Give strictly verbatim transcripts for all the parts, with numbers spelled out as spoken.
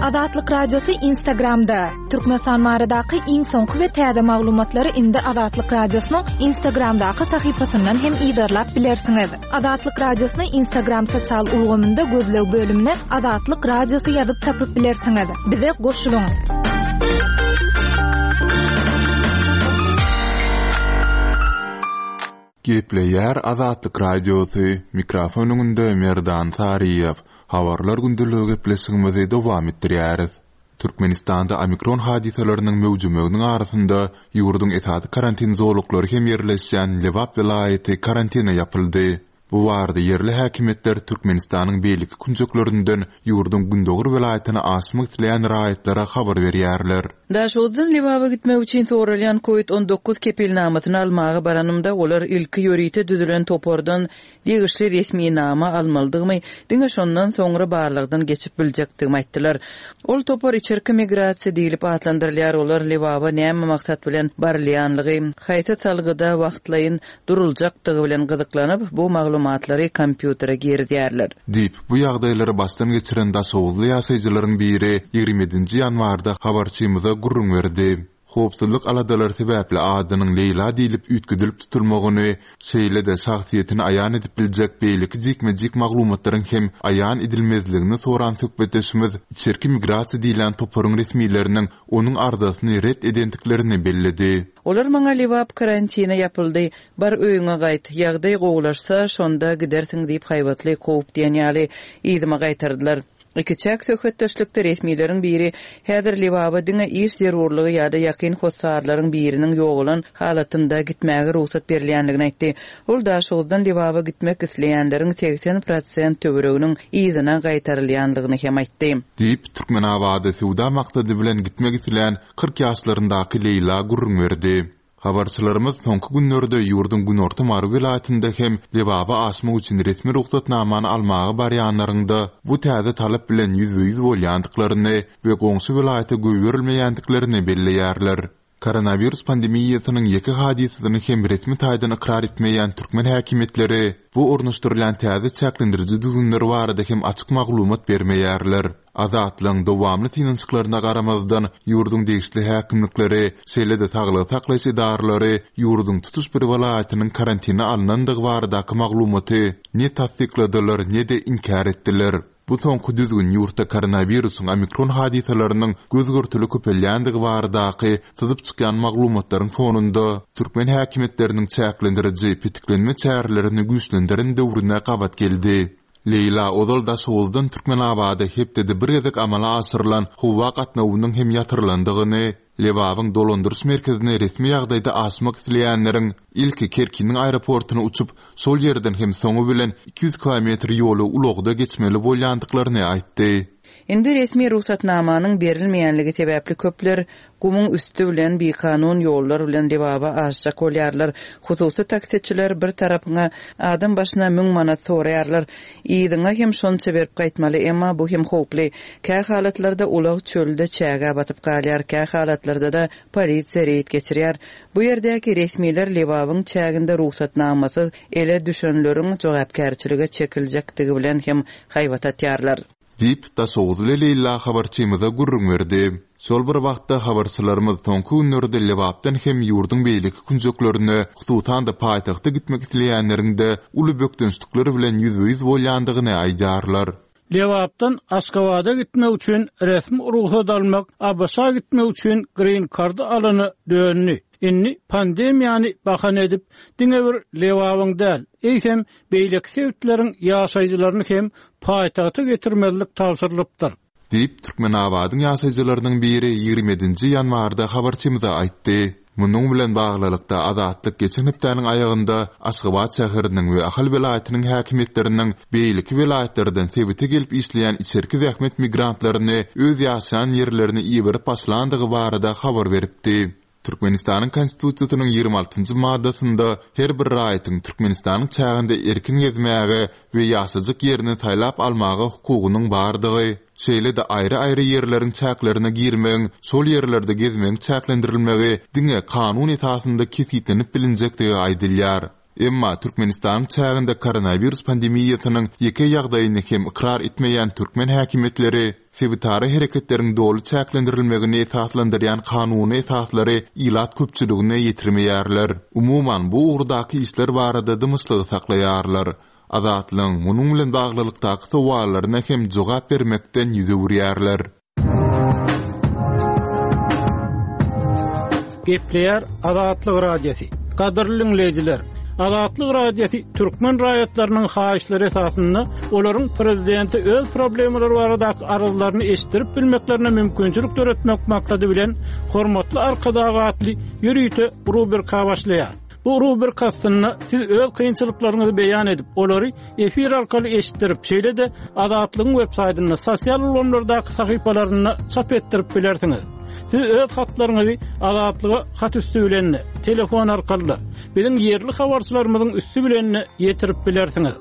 Azatlyk Radiosy Instagramda. Türkmenistan baradaky iň soňky we täze maglumatlary indi Azatlyk Radiosynyň Instagramdaky sahypasyndan hem yzarlap bilersiňiz. Azatlyk Radiosyny Instagram sosial ulgamynda gözleg bölümine Azatlyk Radiosy ýazyp tapyp bilersiňiz. Bize goşulyň. Gepleýär Azatlyk Radiosy, mikrofon öňünde Merdan Saryýew. Habarlar gündeligi gepleşigimizi dowam etdirýäris. Türkmenistanda omikron hadysalarynyň möwjemeginiň arasynda ýurduň esasy karantin zolaklary hem ýerleşýän Lebap welaýaty karantina ýapyldy. Bu barada ýerli häkimiýetler Türkmenistanyň beýleki künjeklerinden ýurduň gündogar welaýatyna aşmak isleýän raýatlara habar berýärler. Daşoguzdan Lebaba gitmek üçin soralýan Covid on dokuz kepilnamasyny almaga baranymda olar ilki ýörite düzülen topardan degişli resminama almalydygymy, diňe şondan soňra barlagdan geçip biljekdigimi aýtdylar. Ol topar içerki migrasiýa diýlip atlandyrylýar. Olar Lebaba näme maksat bilen barylýanlygy, haýsy salgyda wagtlaýyn duruljakdygy bilen gyzyklanyp, bu maglumatlary kompýutere girizýärler. Diýip, bu ýagdaýlary başdan geçiren Daşoguzly ýaşaýjylaryň biri ýigrimi ýedinji ýanwarda habarçymyza gürrüň berdi. Howpsuzlyk aladalary sebäpli adynyň Leýla diýlip üýtgedilip tutulmagyny, şeýle-de şahsyýetini aýan edip biljek beýleki jikme-jik maglumatlaryň hem aýan edilmezligini soran söhbetdeşimiz içerki migrasiýa diýlen toparyň resmileriniň onuň arzasyny ret edendiklerini belledi. Olar maňa Lebap karantina ýapyldy, bar öýüňe gaýt, ýagdaý gowulaşsa, şonda gidersiň diýip haýbatly kowup diýen ýaly yzyma gaýtardylar. Ikiçäk söhbetdeşlikde resmileriň biri häzir Lebaba diňe iş zerurlygy ýa-da ýakyn hossarlaryň biriniň ýogalan halatynda gitmäge rugsat berilýänligini aýtdy. Ol Daşoguzdan Lebaba gitmek isleýänleriň seksen prosent töwereginiň yzyna gaýtarylýanlygyny hem aýtdy. Diýip, Türkmenabada söwda maksady bilen gitmek isleýän kyrk ýaşlaryndaky Leýla gürrüň berdi. Habarçylarymyz soňky günlerde ýurduň günorta Mary welaýatynda hem Lebaba aşmak üçin resmi rugsatnamany almaga barýanlaryňda bu täze talap bilen ýüzbe-ýüz bolýandyklaryny we goňşy welaýata goýberilmeýändiklerini belleýärler. Koronawirus pandemiýasynyň ýeke hadysasyny hem resmi taýdan ykrar etmeýän türkmen häkimiýetleri bu ornaşdyrylýan täze çäklendiriji düzgünler barada hem açyk maglumat bermeýärler. Azatlygyň dowamly synanyşyklaryna garamazdan ýurduň degişli häkimlikleri, şeýle-de saglygy saklaýyş edaralary ýurduň tutuş bir welaýatynyň karantina alynandygy baradaky maglumaty ne tassykladylar, ne-de inkär etdiler. Bu soňky düzgün ýurtda koronawirusyň omikron hadysalarynyň göz-görtele köpelýändigi baradaky syzyp çykýan maglumatlaryň fonunda türkmen häkimiýetleriniň çäklendiriji petiklenme çärelerini güýçlendiren döwrüne gabat geldi. Leýla ozal Daşoguzdan Türkmenabada hepdede bir gezek amala aşyrylan howa gatnawynyň hem ýatyrylandygyny, Lebabyň dolandyryş merkezine resmi ýagdaýda aşmak isleýänleriň ilki Kerkiniň aeroportuna uçup, şol ýerden hem soňy bilen iki ýüz kilometr ýoly ulagda geçmeli bolýandyklaryny aýtdy. Indi resmi rugsatnamanyň berilmeýänligi sebäpli köpler gumuň üstü bilen bikanun ýollar bilen Lebaba aşjak bolýarlar. Hususy taksiçiler bir tarapyňa adam başyna müň manat soraýarlar. Yzyňa hem şonça berip gaýtmaly, emma bu hem howply. Kä halatlarda ulag çölde çäge batyp galýar, kä halatlarda da polisiýa reýd geçirýär. Bu ýerdäki resmiler Lebabyň çäginde rugsatnamasyz ele düşenleriň jogapkärçilige çekiljekdigi bilen hem haýbat atýarlar. Diýip, Daşoguzly Leýla habarçymyza gürrüň berdi. Şol bir wagtda habarçylarymyz soňky günlerde Lebapdan hem ýurduň beýleki künjeklerine, hususan-da paýtagta gitmek isleýänleriň-de uly bökdençlikler bilen ýüzbe-ýüz bolýandygyny aýdýarlar. Lebapdan Aşgabada gitmek üçin resmi rugsat almak, A B Ş-a gitmek üçin green card alany döndü. Indi pandemiýany bahan edip, diňe bir Lebabyň däl, eýsem beýleki sebitleriň ýaşaýjylaryny hem paýtagta getirmezlik tabşyrylypdyr. Diýip, Türkmenabadyň ýaşaýjylarynyň biri ýigrimi ýedinji ýanwarda habarçymyza aýtdy. Munuň bilen baglylykda Azatlyk geçen hepdäniň aýagynda Aşgabat şäheriniň we Ahal welaýatynyň häkimiýetleriniň beýleki welaýatlardan sebite gelip işleýän içerki zähmet migrantlaryny öz ýaşaýan ýerlerine iberip başlandygy barada habar beripdi. Türkmenistanyň Konstitusiýasynyň ýigrimi altynjy maddasynda her bir raýatyň Türkmenistanyň çäginde erkin gezmäge we ýaşajyk ýerini saýlap almaga hukugynyň bardygy, şeýle-de aýry-aýry ýerleriň çäklerine girmegiň, şol ýerlerde gezmegiň çäklendirilmegi diňe kanun esasynda kesgitlenip bilinjekdigi aýdylýar. Emma Türkmenistanyň çäginde koronawirus pandemiýasynyň ýeke ýagdaýyny hem ykrar etmeýän türkmen häkimiýetleri sebitara hereketleriň doly çäklendirilmegini esaslandyrýan kanuny esaslary ilat köpçüligine ýetirmeýärler. Umuman, bu ugurdaky işler barada dymyşlygy saklaýarlar. Azatlygyň munuň bilen baglylykdaky sowallaryna hem jogap bermekden ýüz öwürýärler. Gepleýär Azatlyk Radiosy. Gadyrly dinleýjiler, Azatlyk Radiosy türkmen raýatlarynyň haýyşlary esasynda olaryň prezidente öz problemalary baradaky arzlaryny eşitdirip bilmeklerine mümkinçilik döretmek maksady bilen Hormatly Arkadag atly ýörite rubrika başlaýar. Bu rubrika astynda siz öz kynçylyklaryňyzy beýan edip, olary efir arkaly eşitdirip, şeýle-de Azatlygyň web saýtynda, sosial ulgamlardaky sahypalarynda çap etdirip bilersiňiz. Siz öz hatlaryňyzy Azatlyga hat üsti bilen, telefon arkaly, biziň ýerli habarçylarymyzyň üsti bilen ýetirip bilersiňiz.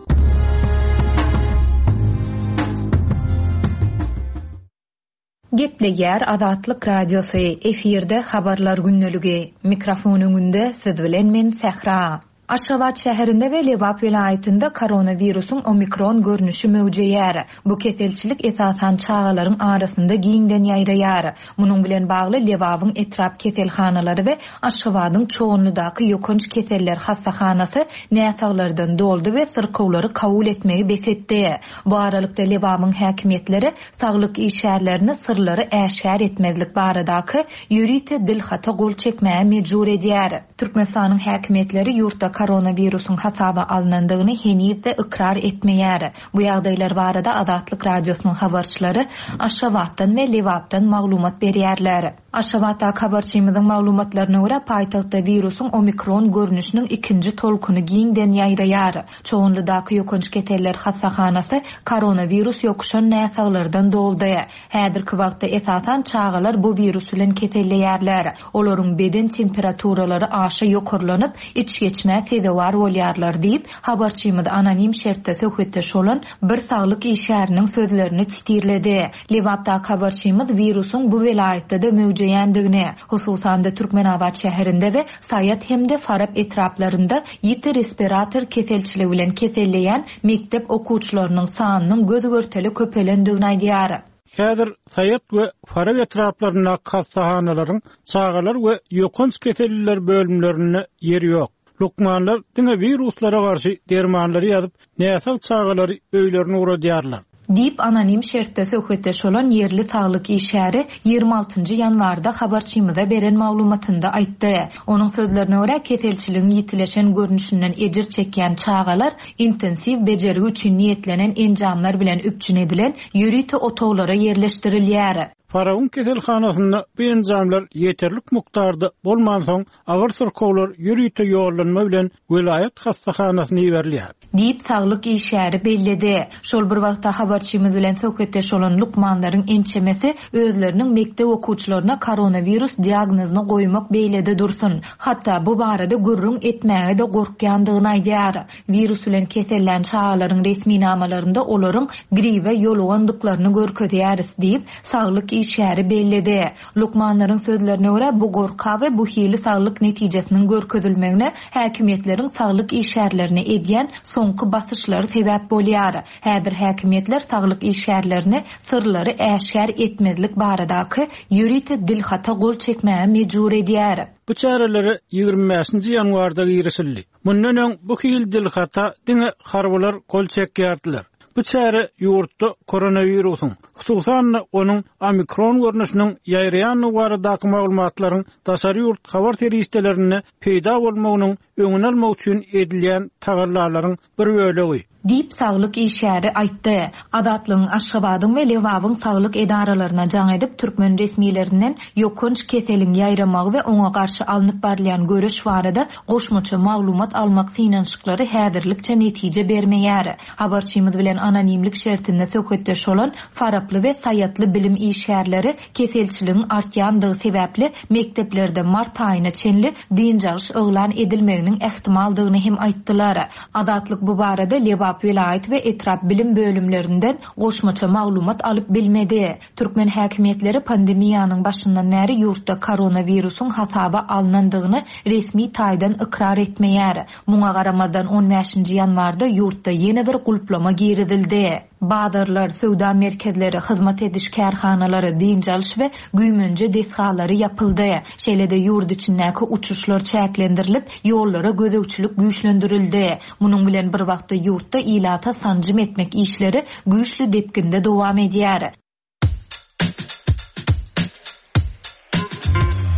Gepleýär Azatlyk Radiosy, efirde habarlar gündeligi. Mikrofon öňünde siz bilen men Sähra. Aşgabat şäherinde we Lebap welaýatynda koronawirusyň omikron görnüşi möwjeýär. Bu keselçilik esasan çagalaryň arasynda giňden ýaýraýar. Munuň bilen bagly Lebabyň etrap keselhanalary we Aşgabadyň Çoganlydaky ýokanç keseller hassahanasy näsaglardan doldy we syrkawlary kabul etmegi bes etdi. Bu aralykda Lebabyň häkimiýetleri saglyk işgärlerini syrlary äşgär etmezlik baradaky ýörite dilhata gol çekmäge mejbur edýär. Türkmenistanyň häkimiýetleri ýurtda koronawirusyň hasaba alynandygyny henizde ykrar etmeýär. Bu ýagdaýlar barada Azatlyk Radiosynyň habarçylary Aşgabatdan we Lebapdan maglumat berýärler. Aşgabatda habarçymyzyň maglumatlaryna görä paýtagtda wirusyň omikron görnüşiniň ikinji tolkuny giňden ýaýraýar. Çoganlydaky ýokanç keseller hassahanasy koronawirus ýokuşan näsaglardan doldy. Häzirki wagtda esasan çagalar bu wirus bilen keselleýärler. Olaryň beden temperaturalary aşa ýokarlanyp, iç geçmä sezewar bolýarlar diýip, habarçymyz anonim şertde söhbetdeş bolan bir saglyk işgäriniň sözlerini titirledi. Lebapda habarçymyz wirusyň bu welaýatda da möwjeýändigini, hususan-da Türkmenabat şäherinde we Saýat hem-de Farap etraplarynda ýiti respirator keselçiligi bilen keselleýän mektep okuwçylarynyň sanynyň göz görteli köpelendigini aýdýar. Häzir Saýat we Farap etraplarynda hassahanalaryň çagalar we ýokanç keselliler bölümlerinde ýer ýok. Lukmanlar diňe wiruslara garşy dermanlary ýazyp, näsag çagalary öýlerine ugradýarlar. Diýip anonim şertde söhbetdeş bolan ýerli saglyk işgäri ýigrimi altynjy ýanwarda habarçymyza beren maglumatynda aýtdy. Onuň sözlerine görä keselçiligiň ýitileşen görnüşinden ejir çekýän çagalar intensiw bejergi üçin niýetlenen enjamlar bilen üpjün edilen ýörite otaglara ýerleşdirilýär. Farabyň keselhanasynda bu enjamlar ýeterlik mukdarda bolmansoň, agyr syrkawlar ýörite ýollanma bilen welaýat hassahanasyna iberilýär. Diýip saglyk işgäri belledi. Şol bir wagtda habarçymyz bilen söhbetdeş bolan lukmanlaryň ençemesi özleriniň mekdep okuwçylaryna koronawirus diagnozyny goýmak beýlede dursun. Hatda bu barada gürrüň etmäge de gorkýandygyny aýdýar. Wirus bilen kesellän çagalaryň resminamalarynda olaryň gribe ýolugandyklaryny görkezýäris diýip saglyk işgäri belledi. Lukmanlaryň sözlerine görä bu gorka we bu hili saglyk netijesiniň görkezilmegine häkimiýetleriň saglyk işgärlerine edýän soňky basyşlary sebäp bolýar. Häzir häkimiýetler saglyk işgärlerini syrlary äşgär etmezlik baradaky ýörite dilhata gol çekmäge mejbur edýär. Bu çärelere ýigrimi bäşinji ýanwarda girişildi. Mundan öň bu hil dilhata diňe harbylar gol çekýärdiler. Bu çäre ýurtda koronawirusyň, hususan-da onuň omikron görnüşiniň ýaýraýanlygy baradaky maglumatlaryň daşary ýurt habar serişdelerinde peýda bolmagynyň öňüni almak üçin edilýän tagallalaryň bir bölegi. Diýip saglyk işgäri aýtdy. Azatlygyň Aşgabadyň we Lebabyň saglyk edaralaryna jaň edip türkmen resmilerinden ýokanç keseliň ýaýramagy we oňa garşy alnyp barylýan göreş barada goşmaça maglumat almak synanyşyklary häzirlikçe netije bermeýär. Habarçymyz bilen anonimlik şertinde söhbetdeş bolan Faraply we Saýatly bilim işgärleri keselçiligiň artýandygy sebäpli mekdeplerde mart aýyna çenli dynç alyş yglan edilmeginiň ähtimaldygyny hem aýtdylar. Azatlyk bu barada Lebap welaýat we etrap bilim bölümlerinden goşmaça maglumat alyp bilmedi. Türkmen häkimiýetleri pandemiýanyň başyndan bäri ýurtda koronawirusyň hasaba alnandygyny resmi taýdan ykrar etmeýär. Muňa garamazdan on bäşinji ýanwarda ýurtda ýene bir gulplama girizildi. Bazarlar, söwda merkezleri, hyzmat ediş kärhanalary, dynç alyş we güýmenje desgalary ýapyldy. Şeýle-de ýurt içindäki uçuşlar çäklendirilip, ýollara gözegçilik güýçlendirildi. Munuň bilen bir wagtda ýurtda ilata sanjym etmek işleri güýçli depginde dowam edýär.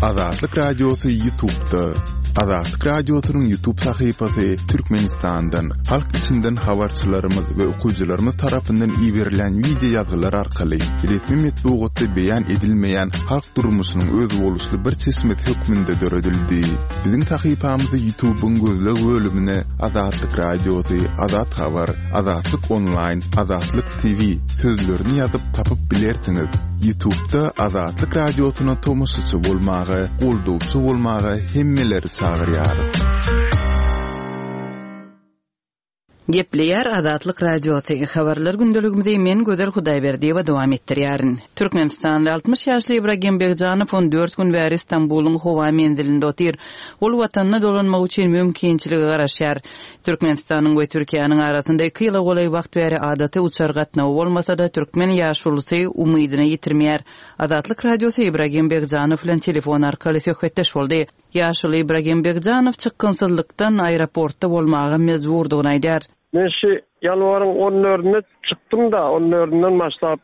Azatlyk Radiosy YouTube'da. Azatlyk Radiosynyň YouTube sahypasy Türkmenistandan, halk içinden habarçylarymyz we okyjylarymyz tarapyndan iberilen wideo ýazgylar arkaly resmi metbugatda beýan edilmeýän halk durmuşynyň özboluşly bir çeşmesi hökmünde döredildi. Biziň sahypamyzy YouTube'yň gözleg bölümine Azatlyk Radiosy, Azat Habar, Azatlyk Online, Azatlyk T V sözlerini ýazyp tapyp bilersiňiz. YouTube'da Azatlyk Radiosyna tomaşaçy bolmaga, goldawçy bolmaga hemmeleri çagyrýarys. Gepleýär Azatlyk Radiosy. Habarlar gündeligimizi men Gözel Hudaýberdiýewa dowam etdirýärin. Türkmenistanly altmyş ýaşly Ibragim Begjanow on dört gün bäri Istanbulyň howa menzilinde otyr. Ol watanyna dolanmak üçin mümkinçilige garaşýar. Türkmenistanyň we Türkiýäniň arasynda iki ýyla golaý wagt bäri adaty uçar gatnawy bolmasa-da türkmen ýaşulusy umydyny ýitirmeýär. Azatlyk Radiosy Ibragim Begjanow bilen telefon arkaly söhbetdeş boldy. Ýaşuly Ibragim Begjanow çykgynsyzlykdan aeroportda bolmaga mejburdygyny aýdar. Men şu ýanwaryň on dördünde çykdym da, on dördünden başlap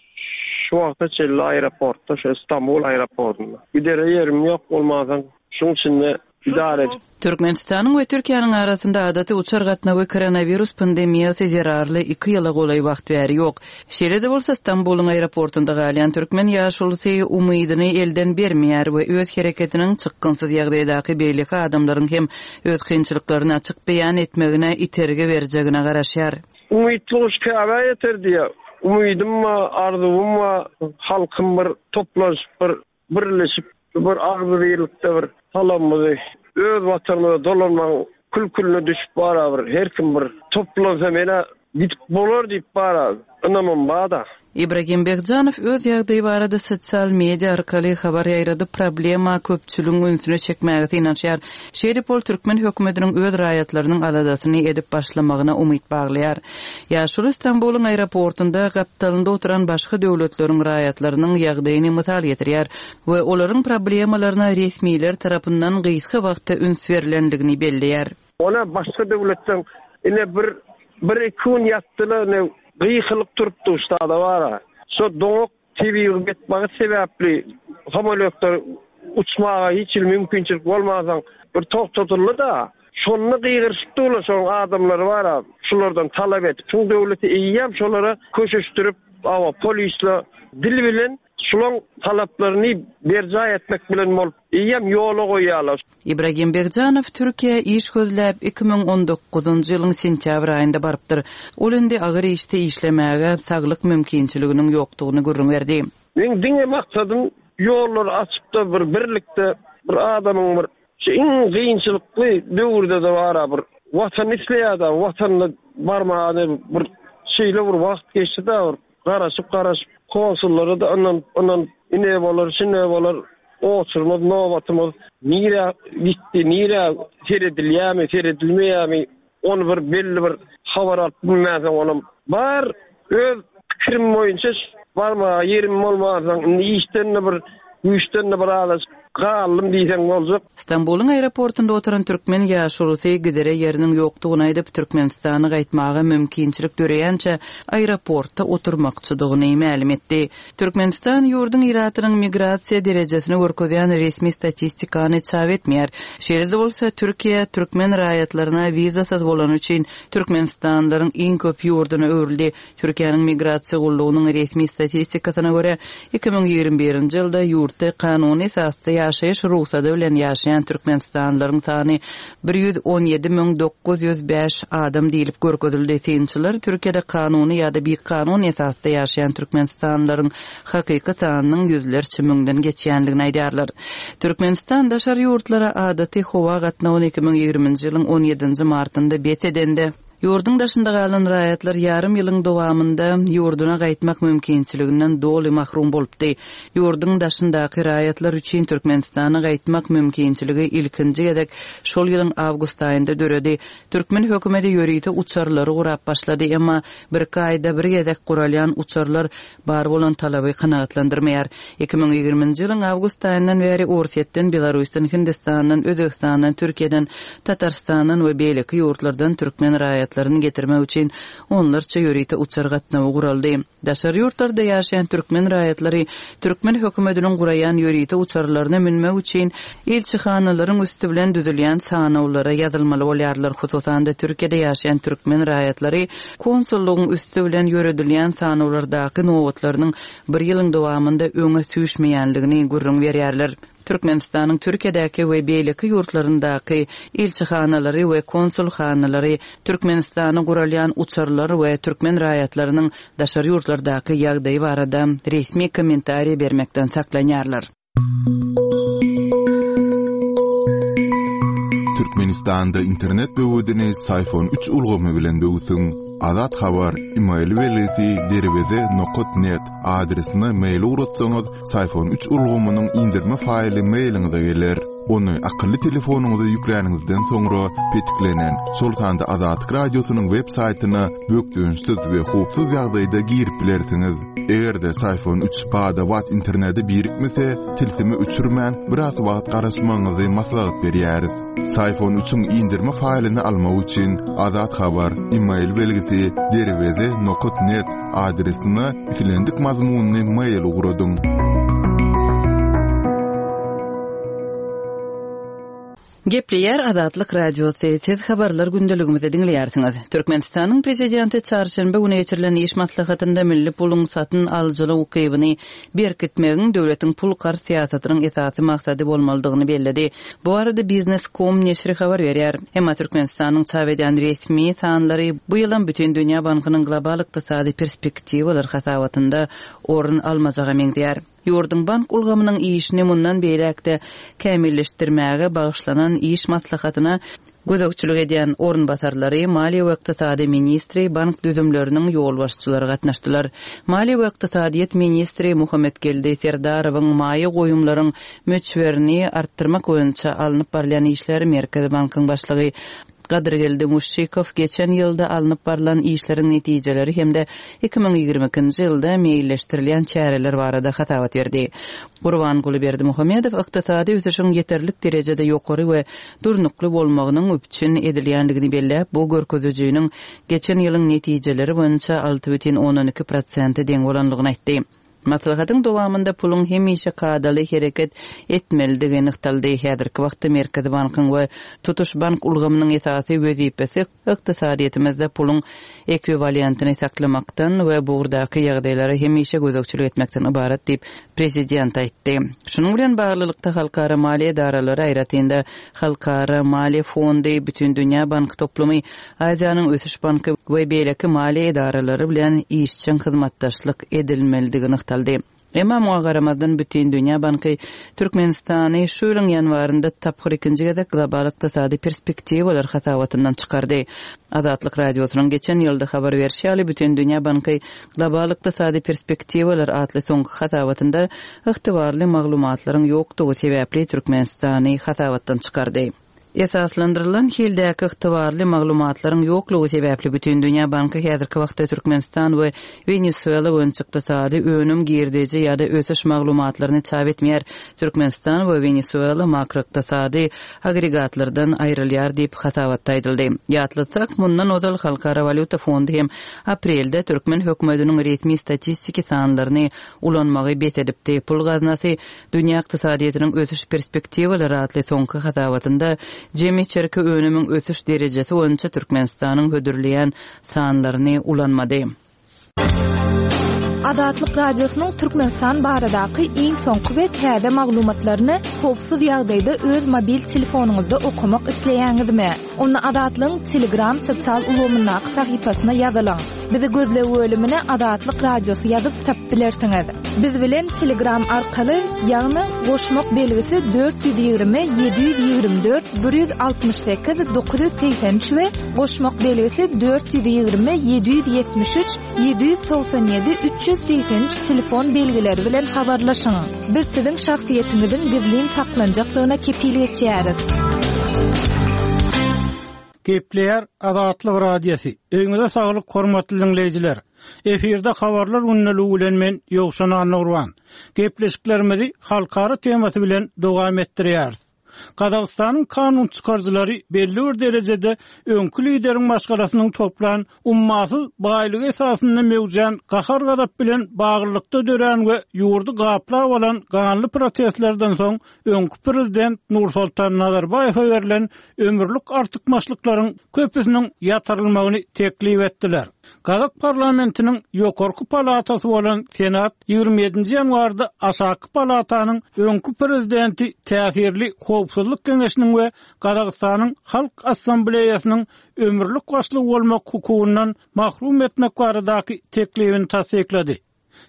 şu wagta çenli aeroportda, şu İstanbul aeroportunda. Gidere ýerim ýok bolmadan, şuň içinde idare edip. Türkmenistanyň we Türkiýäniň arasynda adaty uçar gatnawy koronavirus pandemiýasy zerarly iki ýyla golaý wagt bäri ýok. Şeýle-de bolsa Istanbulyň aeroportunda galýan türkmen ýaşulusy umydyny elden bermeýär we öz hereketiniň çykgynsyz ýagdaýdaky beýleki adamlaryň hem öz kynçylyklaryny açyk beýan etmegine itergi berjegine garaşýar. Umytly guş Käbä ýeter diýe. Umydym wa, arzuwym wa, halkym bir toplanşyp bir birleşip bir agzybirlikde bir salamymyzy öz watanymyza dolanmagyň kül-külüne düşüp bara bir her kim bir toplansa mena gidip bolar diýip bara ynamym bar-da. Ibragim Begjanow öz ýagdaýy barada sosial media arkaly habar ýaýradyp problema köpçüligiň ünsüne çekmäge synanyşýar. Şeýdip ol türkmen hökümetiniň öz raýatlarynyň aladasyny edip başlamagyna umyt baglaýar. Ýaşuly Istanbulyň aeroportunda gapdalynda oturan başga döwletleriň raýatlarynyň ýagdaýyny mysal getirýär we olaryň problemalaryna resmiler tarapyndan gysga wagtda üns berilendigini belleýär. Ona başga döwletden ine bir, bir iki gün ýatdylar, ne gyýylyp turupdy uçtada bara. Şo doňak tebigy betbagt sebäpli samolýotlar uçmaga hiç hili mümkinçilik bolmasaň bir togtatyldy da. Şonda gyýyryşyp durlar şoň adamlary bara, şulardan talap etip, şuň döwleti eýýäm şolara köşeşdirip, awa polisle dil bilen şulaň talaplaryny berjaý etmek bilen bolup eýýäm ýola goýýarlar. Ibragim Begjanow Türkiýä iş gözläp iki müň on dokuzynjy ýylyň sentýabr aýynda barypdyr. Ol indi agyr işde işlemäge saglyk mümkinçiliginiň ýokdugyny gürrüň berdi. Men diňe maksadym ýollary açyp da bir birlikde bir adamyň bir şu iň kynçylykly döwürde de bara bir watan isleýär-de, watanyna barmaga bir şeýle bir wagt geçdi de bir garaşyp garaşyp konsullara da ynanyp ynanyp ine bolar, şine bolar, oturmaz, nobatymyz nirä gitdi, nirä seredilýärmi, seredilmeýärmi, ony bir belli bir habar alyp bilmänsoň onam bar öz pikirim boýunça barmaga ýerim bolmansoň, indi işden de bir güýçden de bir azajyk galdym diýseň boljak. Istanbulyň aeroportunda oturan türkmen ýaşulusy gidere ýeriniň ýokdugyny aýdyp, Türkmenistana gaýtmaga mümkinçilik döreýänçe aeroportda oturmakçydygyny mälim etdi. Türkmenistan ýurduň ilatynyň migrasiýa derejesini görkezýän resmi statistikany çap etmeýär. Şeýle-de bolsa Türkiýe türkmen raýatlaryna wizasyz bolany üçin Türkmenistanlylaryň iň köp ýurduna öwrüldi. Türkiýäniň migrasiýa gullugynyň resmi statistikasyna görä iki müň ýigrimi birinji ýylda ýurtda kanuny esasda ýaşaýyş rugsady bilen ýaşaýan türkmenistanlylaryň sany bir ýüz on ýedi müň dokuz ýüz bäş adam diýlip görkezildi. Synçylar Türkiýede kanuny ýa-da bikanun esasda ýaşaýan türkmenistanlylaryň hakyky sanynyň ýüzlerçe müňden geçýändigini aýdýarlar. Türkmenistan daşary ýurtlara adaty howa gatnawyny iki müň ýigriminji ýylyň on ýedinji martynda bes edende, ýurduň daşynda galan raýatlar ýarym ýylyň dowamynda ýurduna gaýtmak mümkinçiliginden doly mahrum bolupdy. Ýurduň daşyndaky raýatlar üçin Türkmenistana gaýtmak mümkinçiligi ilkinji gezek şol ýylyň awgust aýynda döredi. Türkmen hökümeti ýörite uçarlary gurap başlady, emma bir iki aýda bir gezek guralýan uçarlar bar bolan talaby kanagatlandyrmaýar. Iki müň ýigriminji ýylyň awgust aýyndan bäri Orsýetden, Belarusdan, Hindistandan, Özbegistandan, Türkiýeden, Tatarstandan we beýleki ýurtlardan türkmen raýatlaryny getirmek üçin onlarça ýörite uçar gatnawy guraldy. Daşary ýurtlarda ýaşaýan türkmen raýatlary türkmen hökümetiniň guraýan ýörite uçarlaryna münmek üçin ilçihanalaryň üsti bilen düzülýän sanawlara ýazylmaly bolýarlar. Hususan-da Türkiýede ýaşaýan türkmen raýatlary konsullygyň üsti bilen ýöredilýän sanawlardaky nobatlarynyň bir ýylyň dowamynda öňe süýşmeýänligini gürrüň berýärler. Türkmenistanyň Türkiýedäki we beýleki ýurtlaryndaky ilçihanalary we konsulhanalary Türkmenistana guralýan uçarlar we türkmen raýatlarynyň daşary ýurtlardaky ýagdaýy barada resmi kommentariý bermekden saklanýarlar. Türkmenistanda internet böwedini Syfon üç ulgamy bilen böwsüň. Azat Habar, e-mail belgisi derweze nokta net adresine mail ugratsaňyz, Syfon üç ulgamynyň indirme faýly mailiňize geler. Ony akylly telefonyňyza ýükläniňizden soňra petiklenen, şol sanda Azatlyk radiosynyň web saýtyna bökdençsiz we howpsuz ýagdaýda girip bilersiňiz. Eger-de Syfon üç bada-bat internete birikmese, tilsimi öçürmän biraz wagt garaşmagyňyzy maslahat berýäris. Syfon üçiň indirme faýlyny almak üçin Azat Habar, e-mail belgisi derweze nokta net adresine islendik mazmunyny mail ugradyň. Gepleýär Azatlyk Radiosy, siz habarlar gündeligimizi diňleýärsiňiz. Türkmenistanyň prezidenti çarşenbe güni geçirilen iş maslahatynda milli puluň satyn alyjylyk ukybyny berkitmegiň döwletiň pul karz syýasatynyň esasy maksady bolmalydygyny belledi. Bu arada Biznes nokta com neşiri habar berýär. Emma Türkmenistanyň çap edýän resmi sanlary bu ýylam Bütün Dünýä Bankynyň global ykdysady perspektiwalar hasabatynda orun almajaga meňzeýär. Ýurduň bank ulgamynyň işini mundan beýläk-de kämilleşdirmäge bagyşlanan iş maslahatyna gözegçilik edýän orunbasarlary, maliýe we ykdysady ministri, bank düzümleriniň ýolbaşçylary gatnaşdylar. Maliýe we ykdysadyýet ministri Muhammetgeldi Serdarowyň maýa goýumlaryň möçberini artdyrmak boýunça alnyp barylýan işler Merkezi bankyň başlygy Gadyrgeldi Muşşikow geçen ýylda alnyp barylan işleriň netijeleri hem-de iki müň ýigrimi ikinji ýylda meýilleşdirilýän çäreler barada hasabat berdi. Gurbanguly Berdimuhamedow ykdysady ösüşiň ýeterlik derejede ýokary we durnukly bolmagynyň üpjün edilýändigini belläp, bu görkezijiniň geçen ýylyň netijeleri boýunça alty bütin ondan iki prosente deň bolanlygyny aýtdy. Maslahatyň dowamynda puluň hemişe kadaly hereket etmelidigi nygtaldy. Häzirki wagtda Merkezi bankyň we tutuş bank ulgamynyň esasy wezipesi ykdysadyýetimizde puluň ekwiwalentini saklamakdan we bugrdaky ýagdaýlara hemişe gözegçilik etmekden ybarat diýip prezident aýtdy. Şunuň bilen baglylykda halkara maliýe edaralary aýratynda Halkara Maliýe Fondy, Bütün Dünýä Bank toplumy, Aziýanyň Ösüş Banky we beýleki maliýe edaralary bilen işjeň hyzmatdaşlyk edilmelidigi nygtaldy. Emma muňa garamazdan Bütün Dünýä Banky Türkmenistany şu ýylyň ýanwarynda tapgyr ikinji gezek global ykdysady perspektiwalar hasabatyndan çykardy. Azatlyk Radiosynyň geçen ýylda habar berişi ýaly Bütün Dünýä Banky global ykdysady perspektiwalar atly soňky hasabatynda ygtybarly maglumatlaryň ýokdugy sebäpli Türkmenistany hasabatdan çykardy. Esaslandyrylan hildäki ygtybarly maglumatlaryň ýoklugy sebäpli Bütün Dünýä Banky häzirki wagtda Türkmenistan we Wenesuela boýunça ykdysady önüm girdeji ýa-da ösüş maglumatlaryny çap etmeýär. Türkmenistan we Wenesuela makroykdysady agregatlardan aýrylýar diýip hasabatda aýdyldy. Ýatlatsak, mundan ozal Halkara Walýuta Fondy hem aprelde türkmen hökümetiniň resmi statistiki sanlaryny ulanmagy bes edipdi. Pul gaznasy dünýä ykdysadyýetiniň ösüş perspektiwalary atly soňky hasabatynda jemi içerki önümiň ösüş derejesi boýunça Türkmenistanyň hödürleýän sanlaryny ulanmady. Azatlyk Radiosynyň Türkmenistan baradaky iň soňky we täze maglumatlaryny howpsuz ýagdaýda öz mobil telefonyňyzda okamak isleýäňizmi? Onda Azatlygyň Telegram sosial ulgamyndaky sahypasyna ýazylyň. Bizi gözleg bölümine Azatlyk Radiosy ýazyp tapyp bilersiňiz. Biz bilen Telegram arkaly, ýagny goşmak belgisi dört ýüz ýigrimi ýedi ýüz ýigrimi dört bir ýüz altmyş sekiz dokuz ýüz segsen üç we goşmak belgisi dört ýüz ýigrimi ýedi ýüz ýetmiş üç ýedi ýüz togsan ýedi üç ýüz segsen üç telefon belgileri bilen habarlaşyň. Biz siziň şahsyýetiňiziň gizlin saklanjakdygyna kepil geçýäris. Gepleýär Azatlyk Radiosy. Öýüňize saglyk, hormatly diňleýjiler. Efirde habarlar gündeligi bilen men Ýowşan Annagurban. Gepleşiklerimizi halkara temasy bilen dowam etdirýäris. Gazagystanyň kanun çykaryjylary belli bir derejede öňki lideriň maşgalasynyň toplan ummasyz baýlygy esasynda möwjän gahar-gazap bilen baglylykda dörän we ýurdy gaplap alan ganly protestlerden soň öňki prezident Nursultan Nazarbaýewe berlen ömürlik artykmaçlyklaryň köpüsiniň ýatyrylmagyny teklip etdiler. Gazak parlamentiniň ýokarky palatasy bolan Senat ýigrimi ýedinji ýanwarda aşaky palatanyň öňki prezidenti täsirli howpsuzlyk geňeşiniň we Gazagystanyň Halk Assambleýasynyň ömürlik başlygy bolmak hukugyndan mahrum etmek baradaky teklibini tassyklady.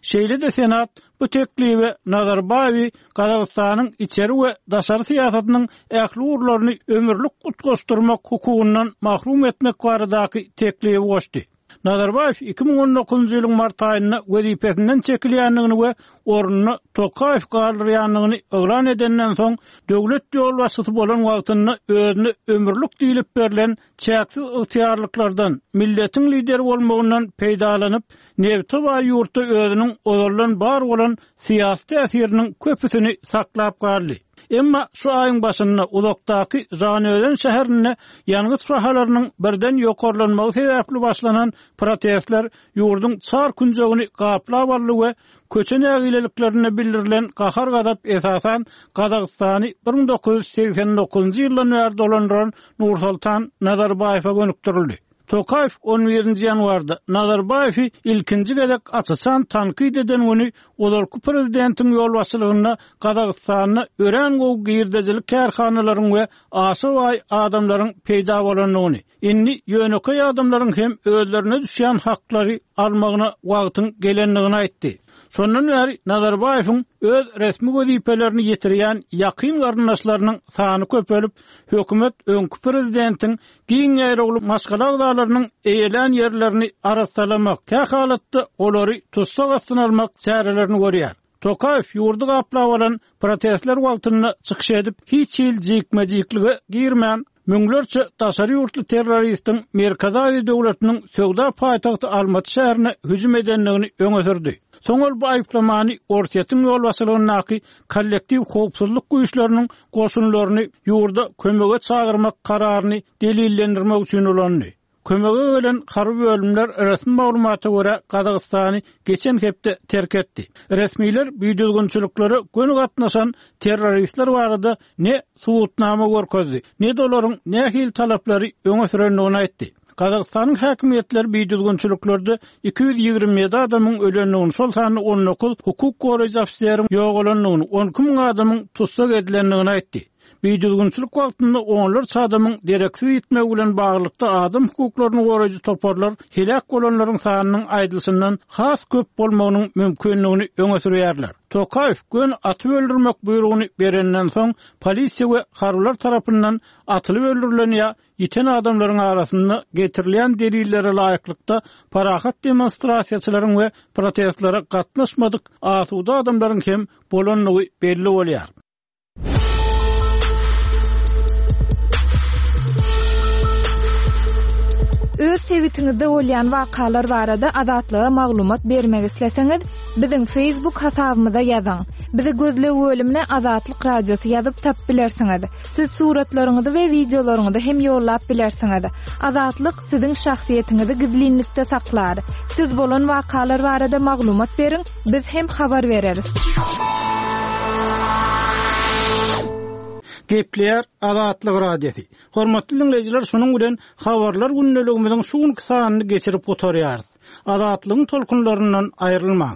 Şeýle-de Senat bu teklibe Nazarbaýewi Gazagystanyň içeri we daşary syýasatynyň ähli ugurlaryny ömürlik utgaşdyrmak hukugyndan mahrum etmek baradaky teklibi goşdy. Nazarbaýew iki müň on dokuzynjy ýylyň mart aýynda wezipesinden çekilýändigini we ornuna Tokaýew galdyrýandygyny yglan edenden soň, döwlet ýolbaşçysy bolan wagtynda özüne ömürlik diýlip berlen çäksiz ygtyýarlyklardan, milletiň lideri bolmagyndan peýdalanyp, nebte baý ýurtda özüniň ozaldan bar bolan syýasy täsiriniň köpüsini saklap galdy. Emma şu aýyň başynda uzakdaky Žanözen şäherinde ýangyç bahalarynyň birden ýokarlanmagy sebäpli başlanan protestler ýurduň çar künjegini gaplap aldy we köçe nägileliklerinde bildirilen gahar-gazap esasan Gazagystany bir müň dokuz ýüz segsen dokuzynjy ýyldan bäri dolandyran Nursultan Nazarbaýewe gönükdirildi. Tokaýew on birinji ýanwarda Nazarbaýewi ilkinji gezek aç-açan tankyt eden güni ozalky prezidentiň ýolbaşçylygynda Gazagystanda örän gowy girdejili kärhanalaryň we aşa baý adamlaryň peýda bolandygyny, indi ýönekeý adamlaryň hem özlerine düşýän haklary almagyna wagtyň gelendigini aýtdy. Şondan bäri Nazarbaýewiň öz resmi wezipelerini ýetirýän ýakyn garyndaşlarynyň sany köpelip, hökümet öňki prezidentiň giň ýaýrawly maşgala agzalarynyň eýelän ýerlerini arassalamak, kähalatda olary tussag astyna almak çärelerini görýär. Tokaýew ýurdy gaplap alan protestler wagtynda çykyş edip, hiç hil jikme-jiklige girmän, müňlerçe daşary ýurtly terroristiň Merkezi Aziýa döwletiniň söwda paýtagty Almaty şäherine hüjüm edendigini öňe sürdi. Soň ol bu aýyplamany Orsýetiň ýolbaşçylygyndaky kollektiw howpsuzlyk güýçleriniň goşunlaryny ýurda kömege çagyrmak kararyny delillendirmek üçin ulandy. Kömege gelen harby bölümler resmi maglumata görä Gazagystany geçen hepde terk etdi. Resmiler bidüzgünçiliklere göni gatnaşan terroristler barada ne subutnama görkezdi, ne-de olaryň nähili talaplary öňe sürendigini aýtdy. Gazagystanyň häkimiýetleri bidüzgünçiliklerde iki ýüz ýigrimi ýedi adamyň ölendigini, şol sanda on dokuz hukuk goraýjy ofiseriň ýogalandygyny, on iki müň adamyň tussag edilendigini aýtdy. Bidüzgünçilik wagtynda onlarça adamyň dereksiz ýitmegi bilen baglylykda adam hukuklaryny goraýjy toparlar heläk bolanlaryň sanynyň aýdylyşyndan has köp bolmagynyň mümkindigini öňe sürýärler. Tokaýew göni atyp öldürmek buýrugyny berenden soň polisiýa we harbylar tarapyndan atylyp öldürilen ýa ýiten adamlaryň arasynda getirilýän delillere laýyklykda parahat demonstrasiýaçylaryň we protestlere gatnaşmadyk asuda adamlaryň hem bolandygy belli bolýar. Öz sebitiňizde bolýan wakalar barada Azatlyga maglumat bermek isleseňiz, biziň Facebook hasabymyza ýazyň. Bizi gözleg bölümine Azatlyk Radiosy ýazyp tapyp bilersiňiz. Siz suratlaryňyzy we wideolaryňyzy hem ýollap bilersiňiz. Azatlyk siziň şahsyýetiňizi gizlinlikde saklar. Siz bolan wakalar barada maglumat beriň, biz hem habar bereris. Gepleýär Azatlyk Radiosy. Hormatly dinleýjiler, şunuň bilen habarlar gündeligimiziň şu günki sanyny geçirip gutarýarys. Azatlygyň tolkunlaryndan aýrylmaň.